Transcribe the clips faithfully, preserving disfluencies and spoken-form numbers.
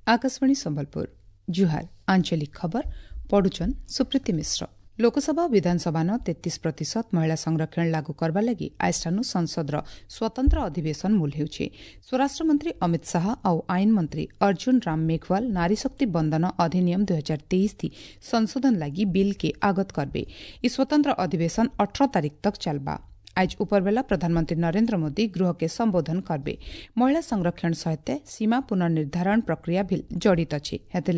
Akashvani Sambalpur ଜୁହାର ଆଞ୍ଚଳିକ ଖବର ପଢୁଛନ୍ ସୁପ୍ରୀତି ମିଶ୍ର ଲୋକସଭା ବିଧାନସଭାନ ତେତିଶ ପ୍ରତିଶତ ମହିଳା ସଂରକ୍ଷଣ ଲାଗୁ କରିବା ଲାଗି ଆଜିଠାନୁ ସଂସଦର ସ୍ୱତନ୍ତ୍ର ଅଧିବେଶନ ମୂଲ ହେଉଛି ସ୍ୱରାଷ୍ଟ୍ରମନ୍ତ୍ରୀ ଅମିତ ଶାହା ଆଉ ଆଇନ ମନ୍ତ୍ରୀ ଅର୍ଜୁନ ରାମ ମେଘୱାଲ ନାରୀ ଶକ୍ତି ବନ୍ଦନ ଅଧିନିୟମ ଦୁଇ ହଜାର ତେଇଶ ଥି ସଂଶୋଧନ ଲାଗି ବିଲ୍ କେ ଆଗତ କରବେ ଇ ସ୍ୱତନ୍ତ୍ର ଅଧିବେଶନ ଅଠର ତାରିଖ ତକ ଚାଲବା आज उपरबेला प्रधानमंत्री नरेंद्र मोदी गृह के संबोधन करबे महिला संरक्षण सहित सीमा पुनर्निर्धारण प्रक्रिया भी जड़ित अछि हेतिर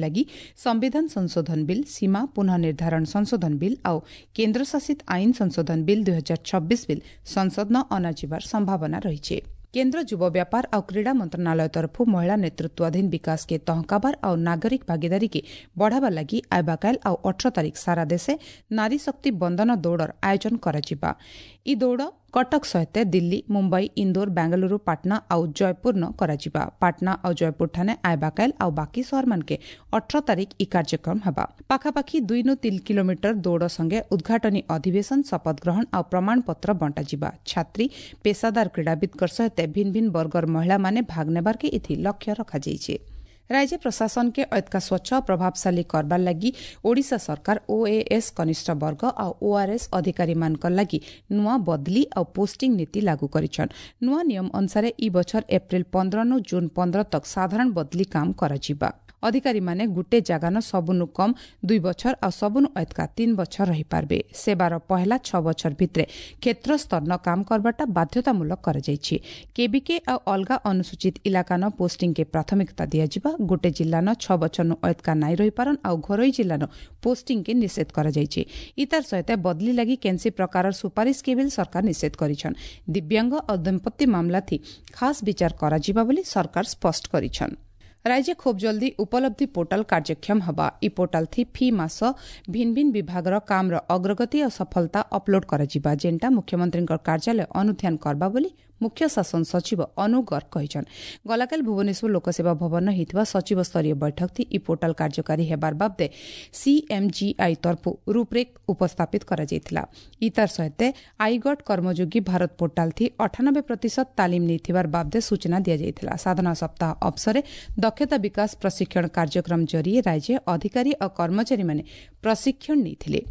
संविधान संशोधन बिल सीमा पुनर्निर्धारण संशोधन बिल आउ केन्द्रशासित आईन संशोधन बिल दुई हजार छब्बीस बिल संसद न अनाजिबार संभावना रहिছে। केंद्र युव व्यापार और क्रीड़ा मंत्रालय तरफ महिला नेतृत्वाधीन विकास के तहकाबार और नागरिक भागीदारी के बढ़ावा लगी आबाकाल और अठर तारीख सारा देशे नारी शक्ति बंदन दौड़र आयोजन କରାଯିବା। ଇ ଦୌଡ଼ କଟକ ସହିତ ଦିଲ୍ଲୀ, ମୁମ୍ବାଇ, ଇନ୍ଦୋର, ବେଙ୍ଗାଲୁରୁ, ପାଟନା ଆଉ ଜୟପୁର ନ କରାଯିବା। ପାଟନା ଆଉ ଜୟପୁର ଠାନେ ଆଇବାକାଇଲ ଆଉ ବାକି ସହରମାନକେ ଅଠର ତାରିଖ ଇ କାର୍ଯ୍ୟକ୍ରମ ହେବା। ପାଖାପାଖି ଦୁଇ ନୁ ତିନି କିଲୋମିଟର ଦୌଡ଼ ସଙ୍ଗେ ଉଦ୍ଘାଟନୀ ଅଧିବେଶନ, ଶପଥ ଗ୍ରହଣ ଆଉ ପ୍ରମାଣପତ୍ର ବଣ୍ଟାଯିବା। ଛାତ୍ରୀ, ପେସାଦାର କ୍ରୀଡ଼ାବିତ୍ଙ୍କ ସହିତ ଭିନ୍ନ ଭିନ୍ନ ବର୍ଗର ମହିଳାମାନେ ଭାଗ ନେବାର୍କେ ଏଥି ଲକ୍ଷ୍ୟ ରଖାଯାଇଛି। राज्य प्रशासन के अतका स्वच्छ प्रभावशाली करबार लागि ओडिशा सरकार ओएएस कनिष्ठ वर्ग आ ओआरएस अधिकारी मानकर लागि नुआ बदली आ पोस्टिंग नीति लागू करिछन। नुआ नियम अनुसार इ बछर एप्रिल पंद्रह नु जून पंद्रह तक साधारण बदली काम କରାଯିବା। अधिकारी माने गुटे जागान सबुनु कम दुई बछर आ सबुनु अतका तीन बछर रही पारबे। सेवार पहला छ बछर भितरे क्षेत्र स्तर न काम करबाटा बाध्यतामूलक କରାଯାଇଛି। केबीके आ अलगा अनुसूचित इलाका न पोस्टिंग के प्राथमिकता दियाଯିବା। गोटे जिल्ला न छ बछर नु अतका नाई रही पारन आ घरोई जिल्ला न पोस्टिंग के निषेध କରାଯାଇଛି। इतार सहित बदली लागि केनसी प्रकार सुपारिश के बिल सरकार निषेध करिछन। दिव्यांग आ दंपति मामला थी खास विचार କରାଯିବା ବୋଲି सरकार स्पष्ट करिछन। राज्य खूब जल्दी उपलब्धि पोर्टाल କାର୍ଯ୍ୟକ୍ଷମ ହେବା। ଇ ପୋର୍ଟାଲ ଥି ଫି ମାସ ଭିନ୍ନ ଭିନ୍ନ ବିଭାଗର କାମର ଅଗ୍ରଗତି ଓ ସଫଳତା ଅପଲୋଡ କରାଯିବା, ଯେନ୍ଟା ମୁଖ୍ୟମନ୍ତ୍ରୀଙ୍କ କାର୍ଯ୍ୟାଳୟ ଅନୁଧ୍ୟାନ କରବା ବୋଲି ମୁଖ୍ୟ ଶାସନ ସଚିବ ଅନୁ ଗର୍ଗ କହିଛନ୍। ଗଲାକାଲି ଭୁବନେଶ୍ୱର ଲୋକସେବା ଭବନ ହେଇଥିବା ସଚିବ ସ୍ତରୀୟ ବୈଠକ ଥି ଇ ପୋର୍ଟାଲ କାର୍ଯ୍ୟକାରୀ ହେବାର ବାବଦେ ସିଏମ୍ଜିଆଇ ତରଫୁ ରୂପରେଖ ଉପସ୍ଥାପିତ କରାଯାଇଥିଲା। ଇତାର ସହିତ ଆଇଗଟ୍ କର୍ମଯୋଗୀ ଭାରତ ପୋର୍ଟାଲ ଥି ଅଠାନବେ ପ୍ରତିଶତ ତାଲିମ ନେଇଥିବାର ବାବଦେ ସୂଚନା ଦିଆଯାଇଥିଲା। ସାଧନା ସପ୍ତାହ ଅବସରେ ଦକ୍ଷତା ବିକାଶ ପ୍ରଶିକ୍ଷଣ କାର୍ଯ୍ୟକ୍ରମ ଜରିଏ ରାଜ୍ୟ ଅଧିକାରୀ ଓ କର୍ମଚାରୀମାନେ ପ୍ରଶିକ୍ଷଣ ନେଇଥିଲେ।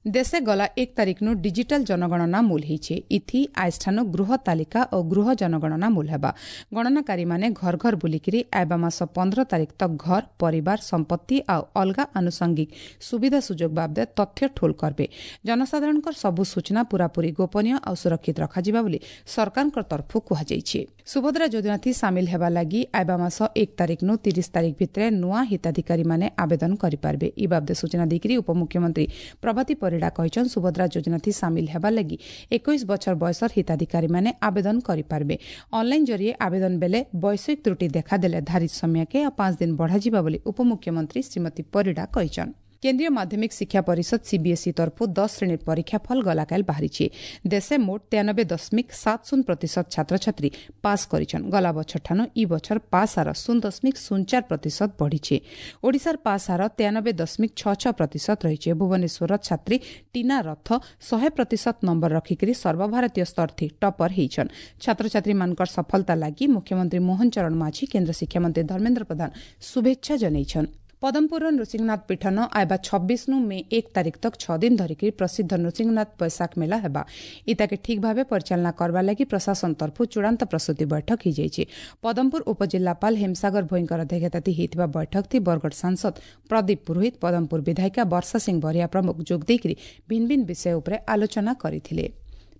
ଦେଶେ ଗଲା ଏକ ତାରିଖନୁ ଡିଜିଟାଲ ଜନଗଣନା ମୂଲ ହେଇଛେ। ଇଥି ଆଇଷ୍ଠାନୁ ଗୃହ ତାଲିକା ଓ ଗୃହ ଜନଗଣନା ମୂଲ ହେବା। ଗଣନାକାରୀମାନେ ଘର ଘର ବୁଲିକିରି ଆଇବା ମାସ ପନ୍ଦର ତାରିଖ ତକ ଘର, ପରିବାର, ସମ୍ପତ୍ତି ଆଉ ଅଲଗା ଆନୁଷଙ୍ଗିକ ସୁବିଧା ସୁଯୋଗ ବାବଦେ ତଥ୍ୟ ଠୋଲ କରବେ। ଜନସାଧାରଣଙ୍କର ସବୁ ସୂଚନା ପୂରାପୂରି ଗୋପନୀୟ ଆଉ ସୁରକ୍ଷିତ ରଖାଯିବା ବୋଲି ସରକାରଙ୍କ ତରଫରୁ କୁହାଯାଇଛି। ସୁଭଦ୍ରା ଯୋଜନାଥି ସାମିଲ ହେବା ଲାଗି ଆଇବା ମାସ ଏକ ତାରିଖନୁ ତିରିଶ ତାରିଖ ଭିତରେ ନୂଆ ହିତାଧିକାରୀମାନେ ଆବେଦନ କରିପାରିବେ। ଇ ବାବଦେ ସୂଚନା ଦେଇକରି ଉପମୁଖ୍ୟମନ୍ତ୍ରୀ ପ୍ରଭାତୀ ପରିଡ଼ା କହିଛନ୍, ସୁଭଦ୍ରା ଯୋଜନାଥି ସାମିଲ ହେବା ଲାଗି ଏକୋଇଶ ବଛର ବୟସର ହିତାଧିକାରୀମାନେ ଆବେଦନ କରିପାରିବେ। ଅନଲାଇନ୍ ଜରିଏ ଆବେଦନ ବେଲେ ବୈଷୟିକ ତ୍ରୁଟି ଦେଖାଦେଲେ ଧାରିତ ସମୟକେ ଆଉ ପାଞ୍ଚ ଦିନ ବଢ଼ାଯିବା ବୋଲି ଉପମୁଖ୍ୟମନ୍ତ୍ରୀ ଶ୍ରୀମତୀ ପରିଡ଼ା କହିଛନ୍। କେନ୍ଦ୍ରୀୟ ମାଧ୍ୟମିକ ଶିକ୍ଷା ପରିଷଦ ସିବିଏସ୍ଇ ତରଫରୁ ଦଶ ଶ୍ରେଣୀର ପରୀକ୍ଷା ଫଳ ଗଲାକାଲି ବାହାରିଛି। ଦେଶେ ମୋଟ ତେୟାନବେ ଦଶମିକ ସାତ ଶୂନ ପ୍ରତିଶତ ଛାତ୍ରଛାତ୍ରୀ ପାସ୍ କରିଛନ୍। ଗଲା ବଛରଠାନୁ ଇ ବଛର ପାସ୍ ହାର ଶୂନ ଦଶମିକ ଶୂନ ଚାରି ପ୍ରତିଶତ ବଢ଼ିଛି। ଓଡ଼ିଶାର ପାସ୍ ହାର ତେୟାନବେ ଦଶମିକ ଛଅ ଛଅ ପ୍ରତିଶତ ରହିଛି। ଭୁବନେଶ୍ୱରର ଛାତ୍ରୀ ଟିନା ରଥ ଶହେ ପ୍ରତିଶତ ନମ୍ବର ରଖିକରି ସର୍ବଭାରତୀୟ ସ୍ତର ଥି ଟପର ହେଇଛନ୍। ଛାତ୍ରଛାତ୍ରୀମାନଙ୍କର ସଫଳତା ଲାଗି ମୁଖ୍ୟମନ୍ତ୍ରୀ ମୋହନ ଚରଣ ମାଝୀ, କେନ୍ଦ୍ର ଶିକ୍ଷାମନ୍ତ୍ରୀ ଧର୍ମେନ୍ଦ୍ର ପ୍ରଧାନ ଶୁଭେଚ୍ଛା ଜଣାଇଛନ୍। ପଦମପୁରର ନୃସିଂହନାଥ ପୀଠନ ଆଇବା ଛବିଶ ନୁ ମେ ଏକ ତାରିଖ ତକ ଛଅ ଦିନ ଧରିକି ପ୍ରସିଦ୍ଧ ନୃସିଂହନାଥ ବୈଶାଖ ମେଳା ହେବା। ଇତାକେ ଠିକ୍ ଭାବେ ପରିଚାଳନା କରବା ଲାଗି ପ୍ରଶାସନ ତରଫରୁ ଚୂଡ଼ାନ୍ତ ପ୍ରସ୍ତୁତି ବୈଠକ ହେଇଯାଇଛି। ପଦମପୁର ଉପଜିଲ୍ଲାପାଳ ହେମସାଗର ଭୋଇଙ୍କର ଅଧ୍ୟକ୍ଷତାଥି ହେଇଥିବା ବୈଠକ ଥି ବରଗଡ଼ ସାଂସଦ ପ୍ରଦୀପ ପୁରୋହିତ, ପଦମପୁର ବିଧାୟିକା ବର୍ଷା ସିଂ ବରିହା ପ୍ରମୁଖ ଯୋଗ ଦେଇକରି ଭିନ୍ନ ଭିନ୍ନ ବିଷୟ ଉପରେ ଆଲୋଚନା କରିଥିଲେ।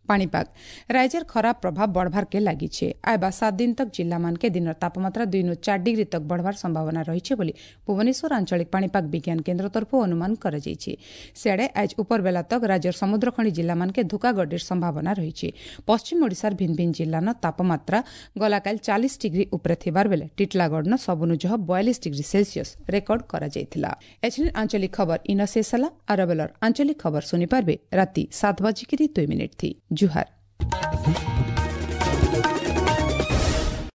ପାଣିପାଗ ରାଜ୍ୟର ଖରାପ ପ୍ରଭାବ ବଢ଼ବାର୍କେ ଲାଗିছে। ଆଇବା ସାତ ଦିନ ତକ ଜିଲ୍ଲାମାନକେ ଦିନର ତାପମାତ୍ରା ଦୁଇ ନୁ ଚାରି ଡିଗ୍ରୀ ତକ ବଢ଼ବାର ସମ୍ଭାବନା ରହିছে ବୋଲି ଭୁବନେଶ୍ୱର ଆଞ୍ଚଳିକ ପାଣିପାଗ ବିଜ୍ଞାନ କେନ୍ଦ୍ର ତରଫରୁ ଅନୁମାନ କରାଯାଇଛି। ସିଆଡ଼େ ଆଜ ଉପରବେଲା ତକ ରାଜ୍ୟର ସମୁଦ୍ରଖଣି ଜିଲ୍ଲାମାନକେ ଧୁକାଗଡ଼ିର ସମ୍ଭାବନା ରହିଛି। ପଶ୍ଚିମ ଓଡ଼ିଶାର ଭିନ୍ନ ଭିନ୍ନ ଜିଲ୍ଲାନ ତାପମାତ୍ରା ଗଲାକାଲି ଚାଳିଶ ଡିଗ୍ରୀ ଉପରେ ଥିବାର ବେଲେ ଟିଟଲାଗଡ଼ନ ସବୁନୁ ଜହ ବୟାଳିଶ ଡିଗ୍ରୀ ସେଲସିୟସ ରେକର୍ଡ କରାଯାଇଥିଲା। ଏଛିନ୍ ଆଞ୍ଚଳିକ ଖବର ଇନ ଶେଷ ହେଲା। ଆରବେଲର ଆଞ୍ଚଳିକ ଖବର ଶୁଣିପାରିବେ ରାତି ସାତ ବାଜିକିରି ଦୁଇ ମିନିଟ୍ ଥି। ଜୁହାର।